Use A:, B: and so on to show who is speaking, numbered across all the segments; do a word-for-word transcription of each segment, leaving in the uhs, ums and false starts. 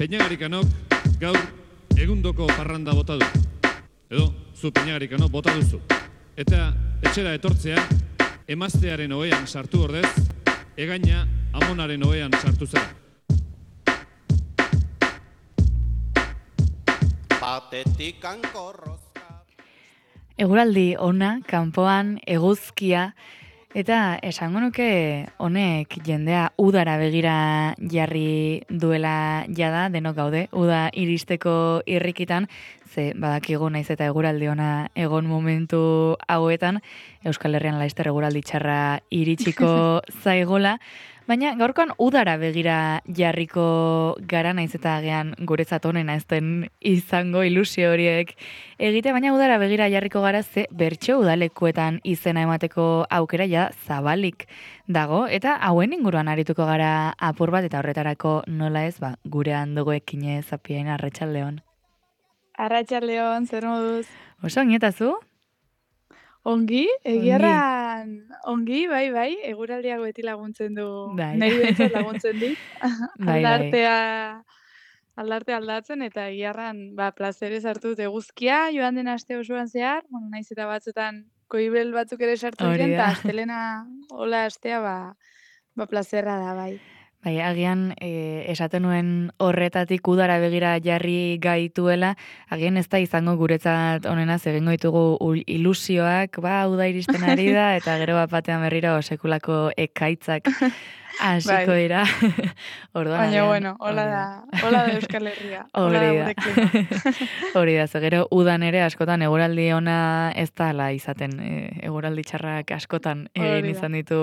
A: Peñagarikanok gaur egundoko parranda bota du. Edo, zu Peñagarikanok bota duzu. Eta etxera etortzea, emaztearen ohean sartu ordez, egaina amonaren ohean sartu zera.
B: Batetik ankorrozka.
C: Eguraldi ona, kanpoan, eguzkia, eta esango nuke honek jendea udara begira jarri duela jada, denok gaude, uda iristeko irrikitan, ze badakigu naiz eta eguraldi ona egon momentu hauetan, Euskal Herrian laizter eguraldi txarra iritsiko zaigola, baina gaurkoan udara begira jarriko gara, naiz eta agian guretzat honena ez den izango ilusio horiek egite, baina udara begira jarriko gara ze bertso udalekuetan izena emateko aukera ja zabalik dago, eta hauen inguruan arituko gara apur bat, eta horretarako nola ez, ba, gurean dugu ekine Zapiain, Arratsaldeon.
D: Arratsaldeon, zer moduz?
C: Oso onietazu?
D: Ongi, egiarran, ongi, bai, bai, eguraldiak beti laguntzen du,
C: Bai.
D: nahi behintzat laguntzen dit,
C: Bai, bai.
D: aldartea, aldarte aldatzen, eta egiarran, ba, plazerez hartu dut eguzkia, joan den aste osoan zehar, bueno, naiz eta batzutan koibel batzuk ere sartu
C: Hori
D: diren,
C: da.
D: eta astelena, hola astea, ba, ba, plazerra da, bai.
C: Bai, agian e, esaten nuen horretatik udara begira jarri gaituela, agian ez da izango guretzat onena egingo ditugu ul- ilusioak, ba, uda iristen ari da, eta gero bat batean berriro sekulako ekaitzak hasiko
D: Bai.
C: dira. Orduan,
D: Baina,
C: agian,
D: bueno, hola
C: hori
D: da, hola da Euskal Herria, hola
C: Hori
D: da
C: da.
D: gure klima.
C: Hori da, ze gero udan ere askotan eguraldi ona ez da ala izaten, e, eguraldi txarrak askotan egin
D: Hori da.
C: izan ditu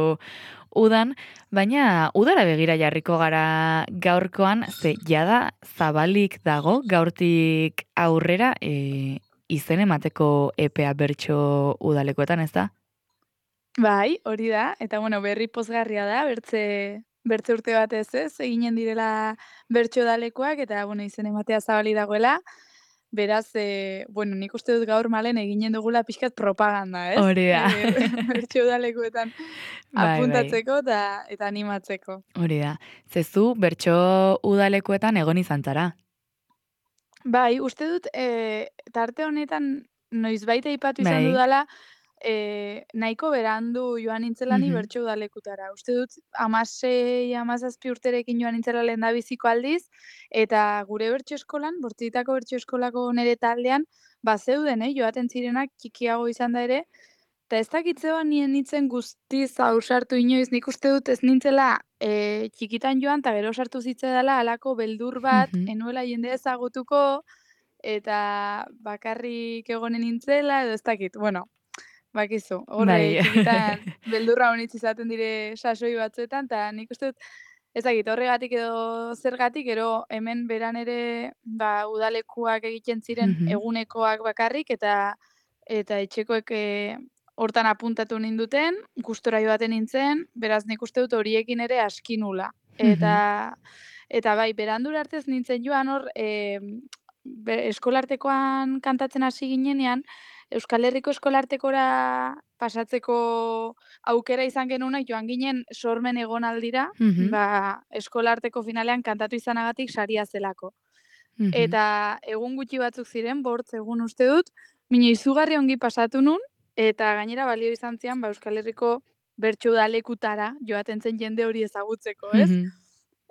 C: udan, baina udara begira jarriko gara gaurkoan, ze jada zabalik dago gaurtik aurrera e, izen emateko epea bertso udalekoetan, ez da?
D: Bai, hori da, eta bueno, berri pozgarria da, bertze, bertze urte batez ez, eginen direla bertso dalekoak, eta bueno, izen ematea zabali dagoela, beraz, e, bueno, nik uste dut gaur malen eginen dugula pixkat propaganda, ez?
C: Hori da.
D: E, bertso dalekoetan
C: Bai, bai.
D: apuntatzeko eta, eta animatzeko.
C: Hori da. Zezu bertso udalekoetan egon izan zara.
D: Bai, uste dut, e, tarte honetan noizbait aipatu izan
C: Bai.
D: dudala, e, nahiko berandu joan nintzela ni
C: Mhm.
D: bertso udalekutara. Uste dut, amasei, amazazpi urterekin joan nintzela lehendabiziko aldiz, eta gure bertso eskolan, Bortzitako bertso eskolako nere taldean, bazeuden, eh, joaten zirenak txikiago izan da ere, eta ez dakitzeba nien nintzen guztiz ausartu inoiz, nik uste dut ez nintzela e, txikitan joan, eta gero sartu zitzedala halako beldur bat,
C: Mhm.
D: enuela jende ezagutuko, eta bakarrik egonen nintzela, edo ez dakit, bueno, bakizu, horre
C: Bai.
D: txikitan beldurra honitz izaten dire sasoi batzuetan, eta nik uste dut, ez dakit, horregatik edo zergatik, gero hemen beran ere, ba, udalekuak egiten ziren
C: Mhm.
D: egunekoak bakarrik, eta eta etxekoek e, hortan apuntatu ninduten, gustora joaten nintzen, beraz nik uste dut horiekin ere aski nula. Eta, eta bai, berandura artez nintzen joan hor, e, be, eskolartekoan kantatzen hasi ginenean, Euskal Herriko eskolartekora pasatzeko aukera izan genunak joan ginen sormen egonaldira,
C: Mhm.
D: ba, eskolarteko finalean kantatu izanagatik saria zelako.
C: Mhm.
D: Eta egun gutxi batzuk ziren, bortz egun uste dut, mino izugarri ongi pasatu nun, eta gainera balio izan zian, ba, Euskal Herriko bertso udalekutara joaten zen jende hori ezagutzeko, ez?
C: Mhm.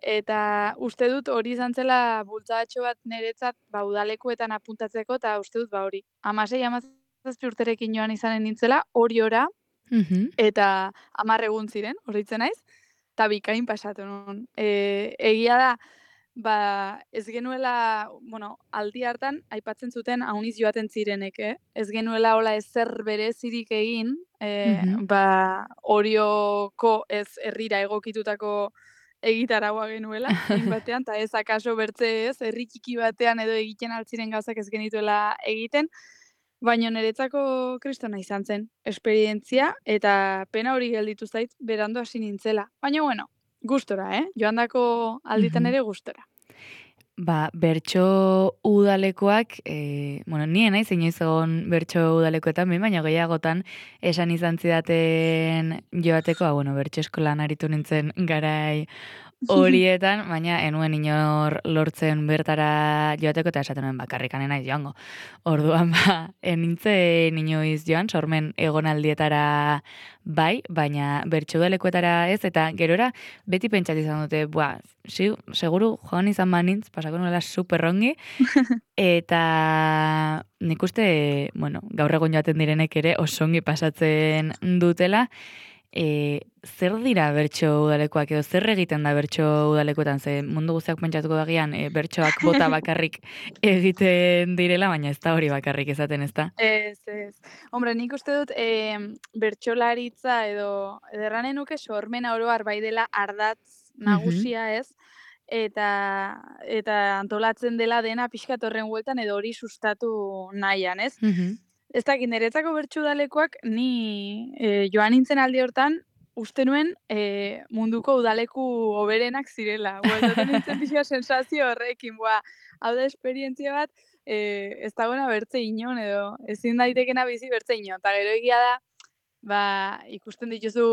D: Eta uste dut hori izan zela bultzadatxo bat niretzat, ba, udalekuetan apuntatzeko, eta uste dut, ba, hori, amasei, amazazpi urterekin joan izanen nintzela, hori ora,
C: Mhm.
D: eta hamar egun ziren, horitzen naiz, eta bikain pasatu nun. E, egia da, ba, ez genuela, bueno, aldi hartan, aipatzen zuten hauniz joaten zirenek, eh? Ez genuela hola ezer berezirik egin, e,
C: Mhm.
D: ba, Orioko ez herrira egokitutako egitaragua genuela, hein batean, eta ez akaso bertze ez, herri txiki batean edo egiten altziren gauzak ez genituela egiten, baina niretzako kristona izan zen, esperientzia, eta pena hori gelditu zait, berandu hasi nintzela. Baina, bueno, gustora, eh? Joandako alditan
C: Mhm.
D: ere gustora.
C: Ba, bertso udalekoak, e, bueno, nien naiz inoiz egon bertso udalekoetan, behin baina gehiagotan esan izan zidaten joateko, ah, bueno, bertso eskolan aritu nintzen garai horietan, baina enuen inor lortzen bertara joateko eta esaten nuen bakarrikan naiz joango. Orduan ba, enintzen inoiz joan, sormen egonaldietara bai, baina bertxudalekuetara ez, eta gerora beti pentsat izan dute, bua, si, seguru joan izan banintz, pasako nuela superrongi, eta nik uste, bueno, gaur egun joaten direnek ere osongi pasatzen dutela. E, zer dira bertso udalekoak edo zer egiten da bertso udalekoetan, ze mundu guztiak pentsatuko dagian e, bertsoak bota bakarrik egiten direla, baina ez da hori bakarrik ezaten, ez da?
D: Ez, ez. Hombre, nik uste dut e, bertsolaritza edo ederranen nuke sormena oro har bai dela ardatz nagusia, ez? Eta eta antolatzen dela dena pixkat horren bueltan edo hori sustatu nahian, ez?
C: Mhm.
D: Ez dakit, niretzako bertso udalekoak ni e, joan nintzen aldi hortan uste nuen e, munduko udaleku hoberenak zirela. Bueltatu nintzen pixka sensazio horrekin, boa, hau da esperientzia bat, e, ez dagoena bertze inon edo ezin daitekena bizi bertze inon. Eta gero egia da, ba, ikusten dituzu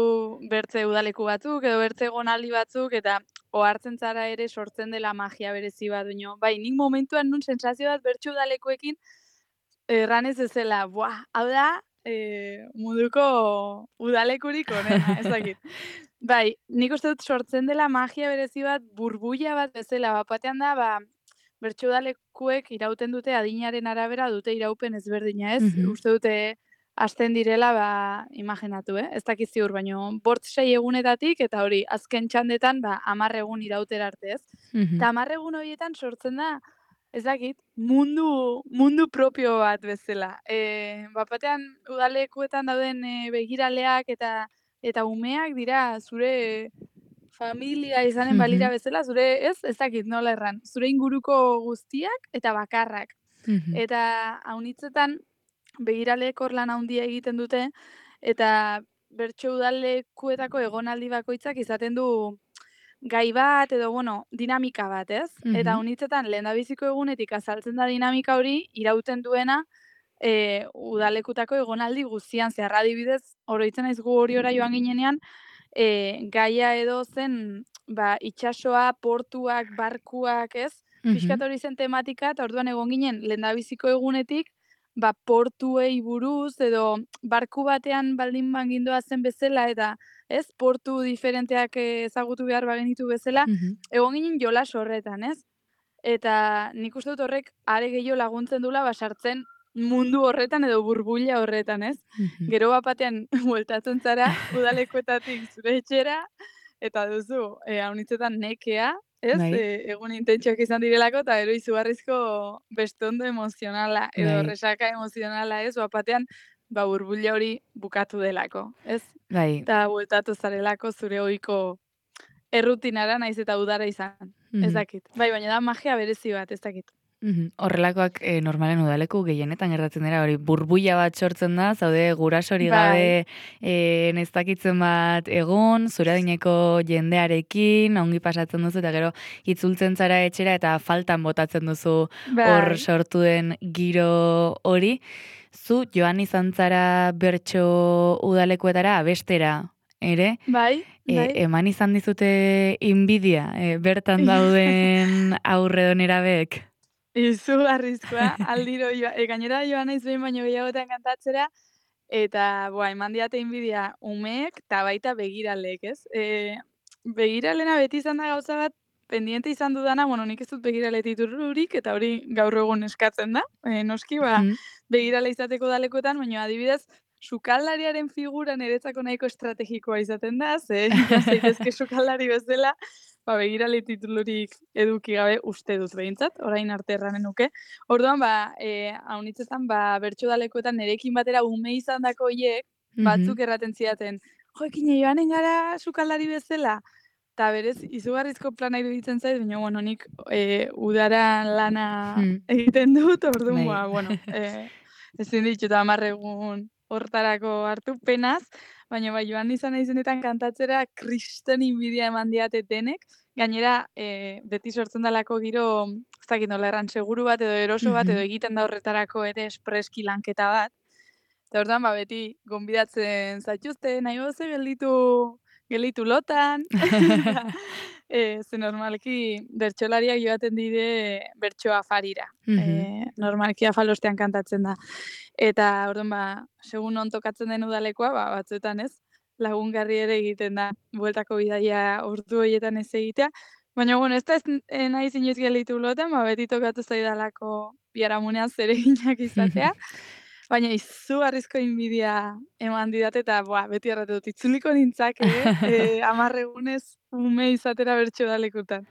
D: bertze udaleku batzuk edo bertze egonaldi batzuk eta ohartzen zara ere sortzen dela magia berezi bat duño. Bai, nik momentuan nun sensazio bat bertso udalekoekin erranez ezela, buah, hau da, e, munduko udalekurik onena, ez dakit. Bai, nik uste dut sortzen dela magia berezi bat, burbuila bat bezala, bat batean da, ba, bertso udalekuek irauten dute adinaren arabera dute iraupen ezberdina, ez?
C: Mhm.
D: Uste dute hasten direla, ba, imaginatu, eh? Ez dakit ziur, baino, bort sei egunetatik, eta hori, azken txandetan, ba, hamar egun irautera arte, ez?
C: Mhm.
D: Eta hamar egun horietan sortzen da, ez dakit, mundu, mundu propio bat bezala. E, bapatean udalekuetan dauden e, begiraleak eta eta umeak dira zure familia izanen balira
C: Mhm.
D: bezala, zure, ez, ez dakit nola erran, zure inguruko guztiak eta bakarrak.
C: Mhm.
D: Eta haunitzetan begiraleek hor lan handia egiten dute, eta bertso udalekuetako egonaldi bakoitzak izaten du gai bat edo, bueno, dinamika bat, ez? Eta
C: Mhm.
D: honitzetan lehendabiziko egunetik azaltzen da dinamika hori irauten duena e, udalekutako egonaldi guztian zehar. Adibidez, oroitzen naiz gu horiora joan ginenean, e, gaia edo zen ba, itsasoa, portuak, barkuak, ez?
C: Mhm.
D: Pixkat hori zen tematika, eta orduan egon ginen lehendabiziko egunetik, ba, portuei buruz edo barku batean baldin bangindoa zen bezala eta ez, portu diferenteak ezagutu behar bagenitu bezala,
C: Mhm.
D: egon ginen jolas horretan, ez? Eta nik uste dut horrek are gehiago laguntzen dula basartzen mundu horretan edo burbuila horretan, ez?
C: Mhm.
D: Gero bat batean bueltatzen zara udalekuetatik zure etxera, eta duzu, e, haunitzetan nekea, ez?
C: Bai.
D: E, egun intentsuak izan direlako, eta gero izugarrizko bestondo emozionala, edo
C: Bai.
D: resaka emozionala, ez? Bat batean, ba, burbuila hori bukatu delako, ez?
C: Bai.
D: Eta bueltatu zarelako zure ohiko errutinara naiz eta udara izan. Ez
C: Mhm.
D: dakit. Bai, baina da magia berezi bat, ez dakit.
C: Mhm. Horrelakoak e, normalen udaleku gehienetan gertatzen dira, hori burbuila bat sortzen da, zaude gurasori
D: Bai.
C: gabe e, nestakitzen bat egun, zure adineko jendearekin, ongi pasatzen duzu, eta gero itzultzen zara etxera eta faltan botatzen duzu hor
D: Bai.
C: sortu den giro hori. Zu joan izan zara bertso udalekuetara abestera, ere?
D: Bai,
C: E,
D: bai.
C: eman izan dizute inbidia, e, bertan dauden aurre nerabeek?
D: Izugarrizkoa, aldiro joa, e, gainera joan naiz behin baino gehiagotan kantatzera, eta, boa, eman diate inbidia umeek, eta baita begiraleek, ez? E, begiralena beti izan da gauza bat, pendiente izan dudana, bueno, nik ez dut begirale titulurik, eta hori gaur egun eskatzen da, e, noski, ba,
C: Mhm.
D: begirale izateko udalekoetan, baina adibidez, sukaldariaren figura niretzako nahiko estrategikoa izaten da, ze jas zaitezke sukaldari bezala, ba, begirale titulurik eduki gabe uste dut behintzat, orain arte erranen nuke. Orduan, ba, e, haunitzetan, ba, bertso udalekoetan nerekin batera ume izan dako hiek, batzuk
C: Mhm.
D: erraten zidaten, jo, ekine joanen gara sukaldari bezala, eta berez, izugarrizko plana iruditzen zait, baina, bueno, nik e, udara lana
C: Hmm.
D: egiten dut, orduan,
C: Bai.
D: ba, bueno, e, ezin ditut hamar egun hortarako hartu penaz, baina bai joan izan naizenetan kantatzera kriston inbidia eman diate denek, gainera e, beti sortzen dalako giro, ez dakit nola erran, seguru bat edo eroso bat, edo
C: Mhm.
D: egiten da horretarako ere espreski lanketa bat, eta orduan, ba, beti gonbidatzen zaituzte, nahi boze gelditu, gelditu lotan, E, ze normalki bertsolariak joaten dire bertso afarira.
C: Mhm.
D: E, normalki afalostean kantatzen da. Eta orduan ba, segun non tokatzen den udalekoa, ba, batzuetan ez, lagungarri ere egiten da. Bueltako bidaia ordu horietan ez egitea. Baina, bueno, ez da ez eh, naiz inoiz gelditu loten, ba, beti tokatu zaidalako biharamunean zereginak izatea. Baina izugarrizko inbidia eman didate eta boa, beti erratu dut, itzuliko nintzake, eh, hamar egunez ume izatera bertsolekutan.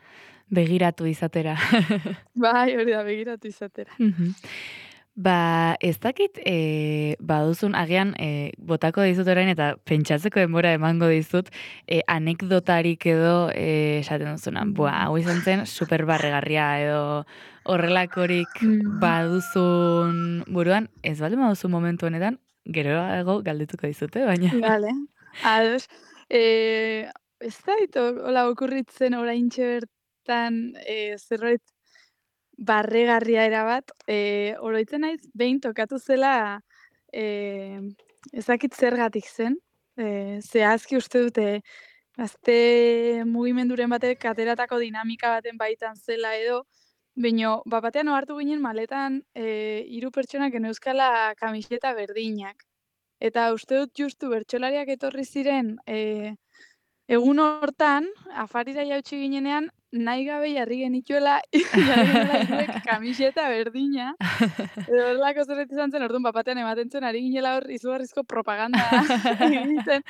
C: Begiratu izatera.
D: Bai, hori da, begiratu izatera.
C: Mhm. Ba, ez dakit, e, baduzun, agian, e, botako dizut orain, eta pentsatzeko denbora emango dizut, e, anekdotarik edo, e, esaten duzunan, bua, hau izan zen, super barregarria edo horrelakorik
D: Mm.
C: baduzun buruan, ez baldin baduzu momentu honetan, geroago galdetuko dizute, baina.
D: Vale, ados. Eh, ez da, hola okurritzen oraintxe bertan, eh, zerbait barregarria erabat, e, oroitzen naiz, behin tokatu zela, e, ez dakit zergatik zen, e, zehazki uste dute, gazte mugimenduren batek ateratako dinamika baten baitan zela edo, baina bat batean ohartu ginen maletan e, hiru pertsonak geneuzkala kamiseta berdinak. Eta uste dut justu bertsolariak etorri ziren e, egun hortan, afarira jautsi ginenean, nahi gabe jarri genituela, jarri genela hiruek kamiseta berdina. Edo horrelako zerbait izan zen, orduan bapatean ematen zen, ari ginela hor izugarrizko propaganda egiten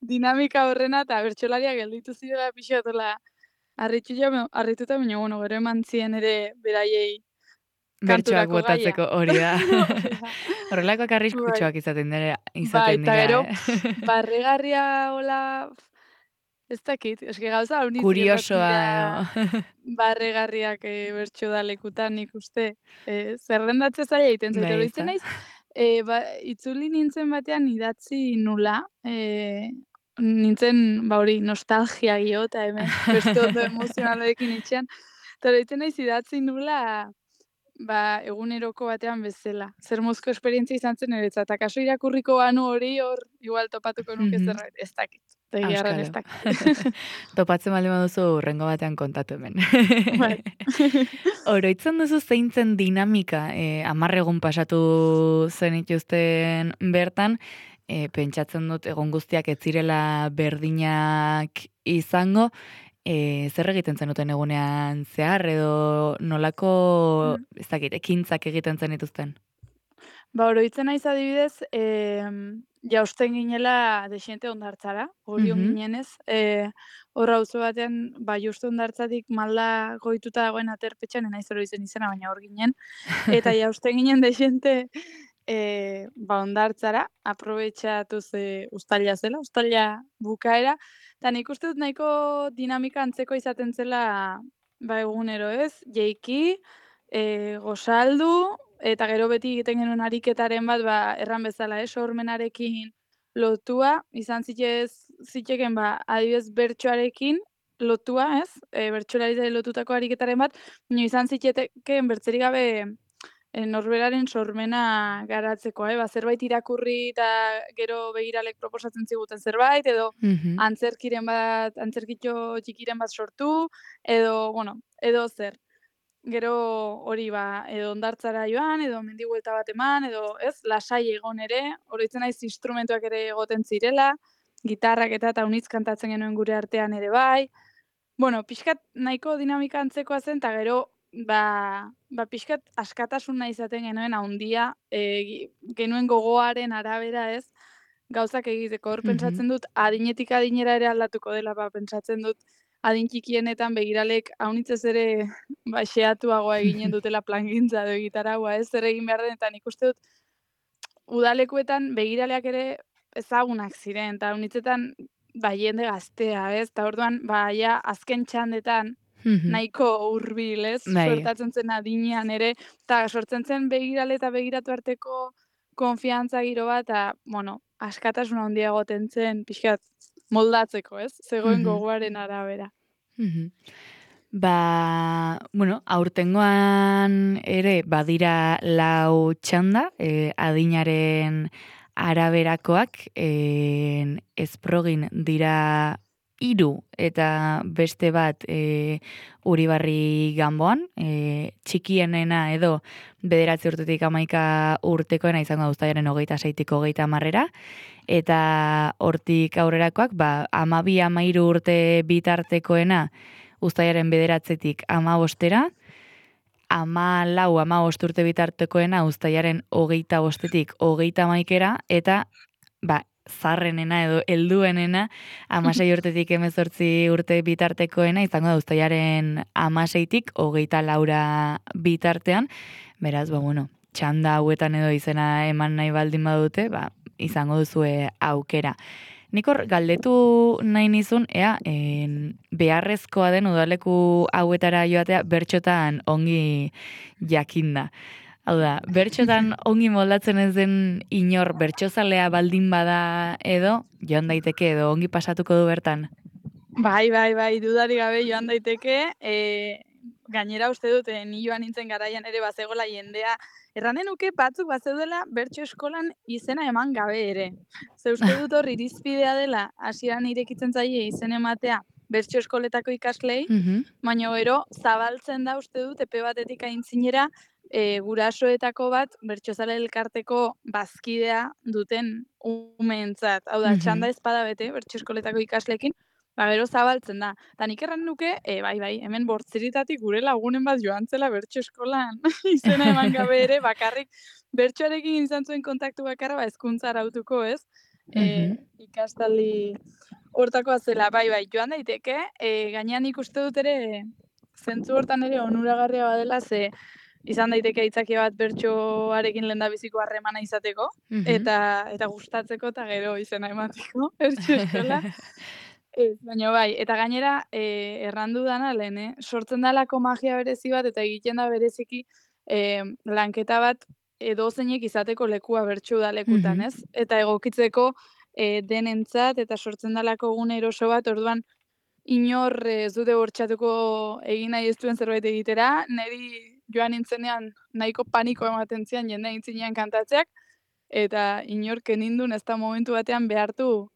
D: dinamika horrena, eta bertsolariak gelditu zirela pixatola harritu ja, harrituta, baina, bueno, gero eman zien ere beraiei
C: Bertsoak
D: kanturako gaia.
C: botatzeko hori da. Horrelakoak arriskutsuak izaten dira,
D: Bai,
C: izaten
D: eta
C: dira,
D: gero,
C: eh?
D: barregarria hola, ez dakit, eske gauza honitz
C: Kuriosoa
D: gertatzen
C: edo.
D: barregarriak e, bertso da lekutan nik uste. E, zerrendatze zaila egiten zait,
C: Bai,
D: oroitzen
C: ezta?
D: naiz, e, ba, itzuli nintzen batean idatzi nula, e, nintzen, ba hori, nostalgia gio, eta hemen, beste ondo emozionalekin itxean, eta oroitzen naiz idatzi nula, ba, eguneroko batean bezala. Zer mozko esperientzia izan zen niretzat, eta kaso irakurriko banu hori hor, igual topatuko nuke
C: Mhm.
D: zerbait, ez dakit. Egiarren ez
C: Auskalo.
D: dakit.
C: Topatzen baldin baduzu urrengo batean kontatu hemen.
D: Bai.
C: Oroitzen duzu zeintzen dinamika, eh, hamar egun pasatu zenituzten bertan, eh, pentsatzen dut egon guztiak ez zirela berdinak izango, eh, zer egiten zenuten egunean zehar edo nolako,
D: Mm.
C: ez dakit, ekintzak egiten zenituzten?
D: Ba, oroitzen naiz adibidez, em, jausten ginela dexente hondartzara, orion
C: Mhm.
D: ginenez, e, hor auzo batean, ba, justu hondartzatik malda goituta dagoen aterpetxean, ez naiz oroitzen izena, baina hor ginen, eta jausten ginen dexente, e, ba, hondartzara, aprobetxatu ze ustaila zela, ustaila bukaera, eta nik uste dut nahiko dinamika antzeko izaten zela, ba, egunero ez, jeiki, e, gozaldu, eta gero beti egiten genuen ariketaren bat, ba, erran bezala, eh, sormenarekin lotua, izan zitez, ziteken, ba, adibidez bertsoarekin lotua, ez? E, bertsolaritzari lotutako ariketaren bat, baina izan zitekeen bertzerik gabe e, norberaren sormena garatzeko, eh? Ba, zerbait irakurri eta gero begiralek proposatzen ziguten zerbait, edo
C: Mhm.
D: antzerkiren bat, antzerkitxo txikiren bat sortu, edo, bueno, edo zer. Gero hori ba, edo hondartzara joan, edo mendi buelta bat eman, edo ez, lasai egon ere, oroitzen naiz instrumentuak ere egoten zirela, gitarrak eta eta unitz kantatzen genuen gure artean ere bai. Bueno, pixkat nahiko dinamika antzekoa zen, eta gero, ba, ba pixkat askatasuna izaten genuen haundia, e, genuen gogoaren arabera ez, gauzak egiteko. Hor
C: Mhm.
D: pentsatzen dut, adinetik adinera ere aldatuko dela, ba, pentsatzen dut, adin txikienetan begiralek haunitzez ere ba, xeatuagoa eginen dutela plangintza edo egitaragoa, ez zer egin behar den, eta nik uste dut udalekuetan begiraleak ere ezagunak ziren, eta haunitzetan ba, jende gaztea, ez? Eta orduan, ba, ja, azken txandetan
C: Mhm.
D: nahiko hurbil, ez?
C: Bai.
D: Suertatzen zen adinean ere, eta sortzen zen begirale eta begiratu arteko konfiantza giro bat, eta, bueno, askatasuna handia egoten zen, pixkat, moldatzeko, ez? Zegoen
C: Mhm.
D: gogoaren arabera.
C: Mhm. Ba, bueno, aurtengoan ere badira lau txanda, eh, adinaren araberakoak, eh, ezprogin dira hiru eta beste bat e, Uribarri Ganboan, e, txikienena edo bederatzi urtetik hamaika urtekoena izango da uztailaren hogeita seitik hogeita hamarrera, eta hortik aurrerakoak, ba, amabi amairu urte bitartekoena uztailaren bederatzetik amabostera, ama lau, ama bost urte bitartekoena uztailaren hogeita bostetik hogeita hamaikera, eta ba, zarrenena edo helduenena hamasei urtetik hemezortzi urte bitartekoena izango da uztailaren hamaseitik hogeita laura bitartean. Beraz, ba, bueno, txanda hauetan edo izena eman nahi baldin badute, ba, izango duzue aukera. Nik hor galdetu nahi nizun, ea, en, beharrezkoa den udaleku hauetara joatea bertxotan ongi jakinda. Hau da, bertxotan ongi moldatzen ez den inor bertxozalea baldin bada edo, joan daiteke edo ongi pasatuko du bertan?
D: Bai, bai, bai, dudari gabe joan daiteke, e, gainera uste dute, ni joan nintzen garaian ere bazegola jendea, erranen nuke batzuk bazeudela bertso eskolan izena eman gabe ere. Ze uste dut hor irizpidea dela, hasieran irekitzen zaie izen ematea bertso eskoletako ikaslei,
C: Mhm.
D: baina gero zabaltzen da uste dut epe batetik aintzinera e, gurasoetako bat bertsozale elkarteko bazkidea duten umeentzat. Hau da,
C: Mhm.
D: txanda ezpada bete bertso eskoletako ikasleekin, ba, gero zabaltzen da. Ta nik erran nuke, e, bai, bai, hemen bortziritatik gure lagunen bat joan zela bertso eskolan izena eman gabe ere, bakarrik bertsoarekin izan zuen kontaktu bakarra, ba, hezkuntza arautuko, ez? E,
C: Mhm.
D: ikastaldi hortakoa zela, bai, bai, joan daiteke, e, gainean ikuste dut ere, zentzu hortan ere onuragarria badela, ze izan daiteke aitzakia bat bertsoarekin lehendabiziko harremana izateko,
C: Mhm.
D: eta eta gustatzeko eta gero izena emateko bertso eskola. Ez, baina bai, eta gainera, e, errandu dana lehen, eh? Sortzen dalako magia berezi bat, eta egiten da bereziki e, lanketa bat edozeinek izateko lekua bertso udalekutan,
C: Mhm.
D: ez? Eta egokitzeko e, denentzat, eta sortzen dalako gune eroso bat, orduan inor eh, ez dute bortxatuko egin nahi ez duen zerbait egitera, niri joan nintzenean nahiko paniko ematen zian jende aintzinean kantatzeak, eta inork enindun ez da momentu batean behartu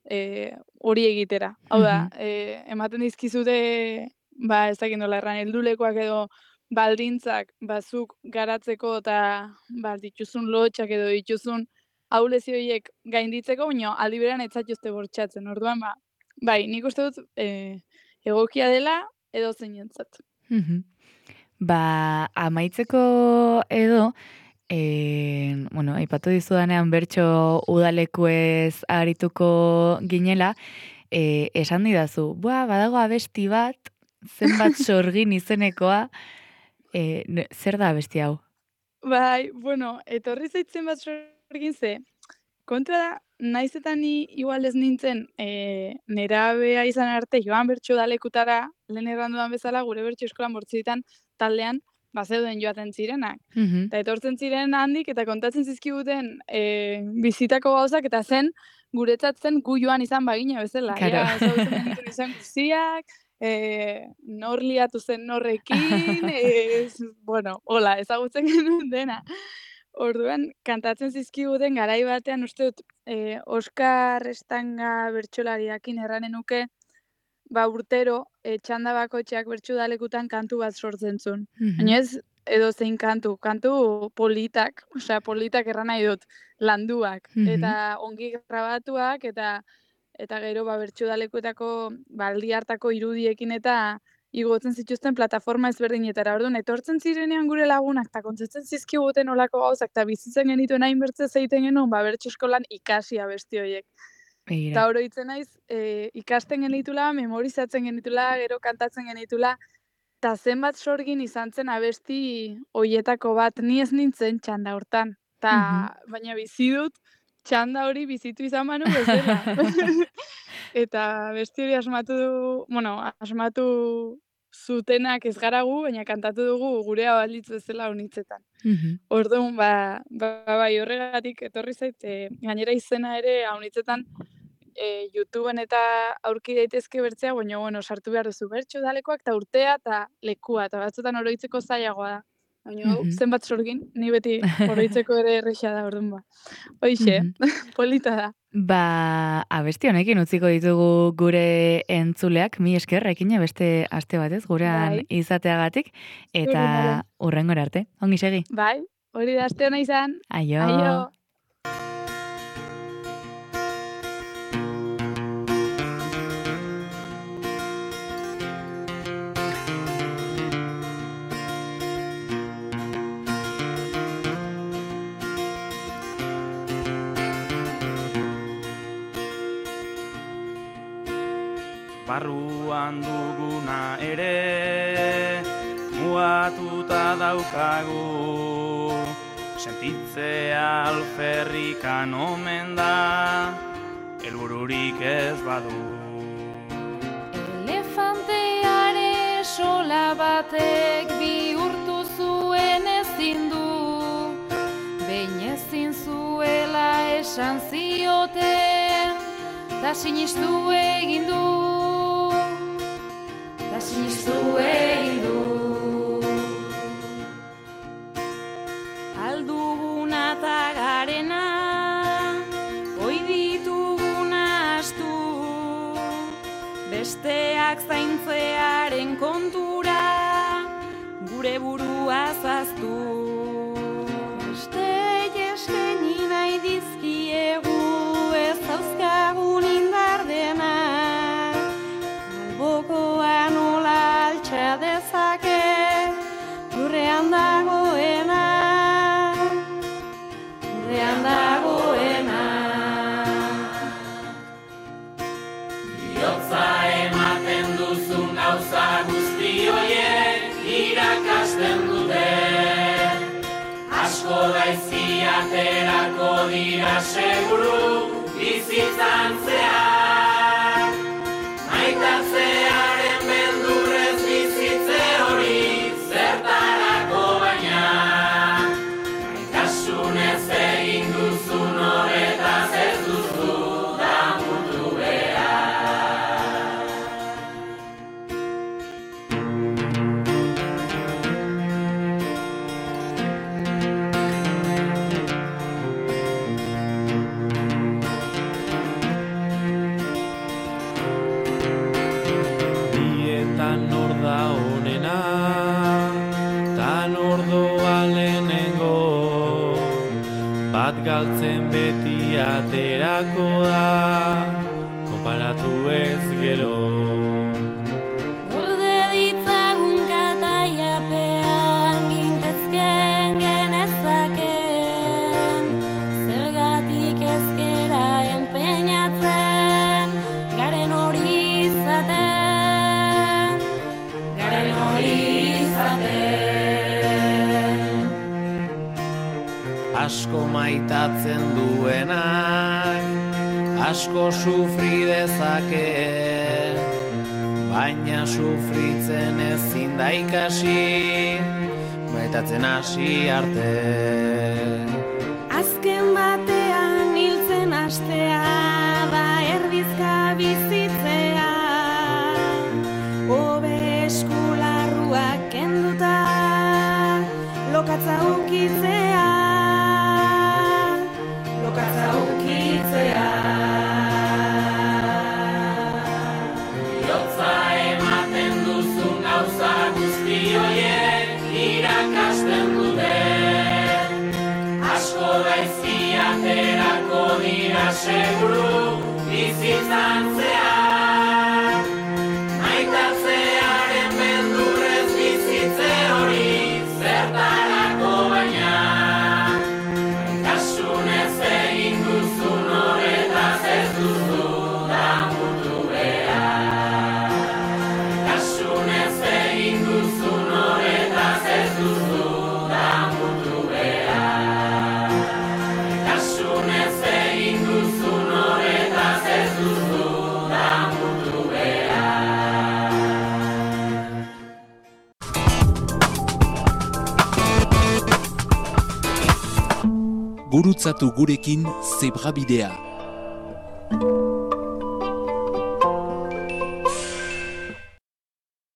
D: e, hori egitera. Hau da,
C: Mhm.
D: e, ematen dizkizute, ba, ez dakit nola erran, heldulekoak edo baldintzak bazuk garatzeko eta ba, dituzun lotxak edo dituzun ahulezio horiek gainditzeko, baina aldi berean ez zaituzte bortxatzen. Orduan, ba, bai, nik uste dut e, egokia dela edo zeinentzat.
C: Mhm. Ba, amaitzeko edo, e, bueno, aipatu dizudanean bertso udalekuez arituko ginela, e, esan didazu, bua, badago abesti bat, zenbat sorgin izenekoa, e, ne- zer da abesti hau?
D: Bai, bueno, etorri zaitzen bat sorgin ze, kontua da, naiz eta ni igual ez nintzen e, nerabea izan arte joan bertso udalekutara, lehen errandudan bezala, gure bertso eskolan bortzitan taldean, bazeuden joaten zirenak.
C: Mhm.
D: Eta etortzen ziren handik eta kontatzen zizkiguten e, bizitako gauzak eta zen guretzat zen gu joan izan bagina bezala.
C: Claro.
D: Ja, ezagutzen genituen izan guztiak, e, nor liatu zen norrekin, e, bueno, hola, ezagutzen genuen dena. Orduan, kantatzen zizkiguten garai batean uste dut e, Oskar Estanga bertsolariakin erranen nuke, ba urtero e, txanda bakoitzeak bertso udalekutan kantu bat sortzen zuen.
C: Mhm.
D: Baina ez edo zein kantu, kantu politak, osea politak erran nahi dut, landuak,
C: Mhm.
D: eta ongi grabatuak, eta eta gero ba bertso udalekuetako baldi hartako irudiekin eta igotzen zituzten plataforma ezberdinetara. Orduan etortzen zirenean gure lagunak eta kontzetzen zizkiguten olako gauzak eta bizitzen genituen hainbertze zeiten genuen ba bertso eskolan ikasi abesti horiek.
C: Begira.
D: Eta oroitzen naiz, e, ikasten genitula, memorizatzen genitula, gero kantatzen genitula, eta zenbat sorgin izan zen abesti hoietako bat, ni ez nintzen txanda hortan. Ta,
C: Mhm.
D: baina bizi dut txanda hori bizitu izan banu bezala. Eta abesti hori asmatu du, bueno, asmatu zutenak ez gara gu, baina kantatu dugu gurea balitz bezala honitzetan.
C: Mhm.
D: Orduan, ba, ba, bai horregatik etorri zait, e, gainera izena ere haunitzetan e, YouTubeen eta aurki daitezke bertzea, baina bueno, sartu behar duzu bertso udalekoak eta urtea eta lekua, eta batzutan oroitzeko zailagoa da. Baina hau,
C: Mhm.
D: zenbat sorgin, ni beti oroitzeko ere erresa da, orduan ba. Hoixe,
C: Mhm.
D: polita da.
C: Ba, abesti honekin utziko ditugu gure entzuleak, mi esker, ekine beste aste batez, gurean
D: Bai.
C: izateagatik,
D: Zuri
C: eta
D: nola.
C: hurrengora arte. Ongi segi.
D: Bai, hori da aste hona izan.
C: Aio.
D: Aio.
E: Barruan duguna ere muatuta daukagu, sentitzea alferrikan omen da, helbururik ez badu.
F: Elefanteare sola batek bihurtu zuen ezin du, behin ezin zuela esan zioten, ta sinistu egin du. Ta sinistu egin du. Alduguna ta garena, oi dituguna astu, besteak zaintzearen kontura, gure burua zaztu. Beste eskaini nahi dizkiegu ez zauzkagun indar dena, albokoa nola altxa dezake lurrean dagoena, lurrean dagoena.
E: Bihotza ematen duzun gauza guzti horiek irakasten dute, asko gaizki aterako dira seguru bizitzan zehar, maitatzearen beldurrez bizitze hori zertarako baina, maitasunez egin duzun horretaz ez duzu damutu behar. Bietan nor da honena, tan ordoa lehenengo, bat galtzen beti aterako da, konparatu ez gero.
F: Gorde ditzagun kataiapean gintezken genezakeen, zergatik ezkera enpeinatzen, garen hori izaten, garen hori izaten.
E: Asko maitatzen duenak, asko sufri dezake, baina sufritzen ezin da ikasi, maitatzen hasi arte.
F: Azken batean hiltzen hastea da erdizka bizitzea, hobe eskularruak kenduta lokatza ukitzea, lokatza ukitzea.
E: Bihotza ematen duzun gauza guzti horiek irakasten dute, asko gaizki aterako dira seguru bizitzan zehar, maitatzearen beldurrez bizitze hori zertarako baina, maitasunez egin duzun horretaz ez duzu damutu behar. Maitasunez egin duzun horretaz ez duzu damutu behar. Maitasunez egin duzun horretaz ez duzu damutu behar.
G: Gurutzatu gurekin Zebrabidea.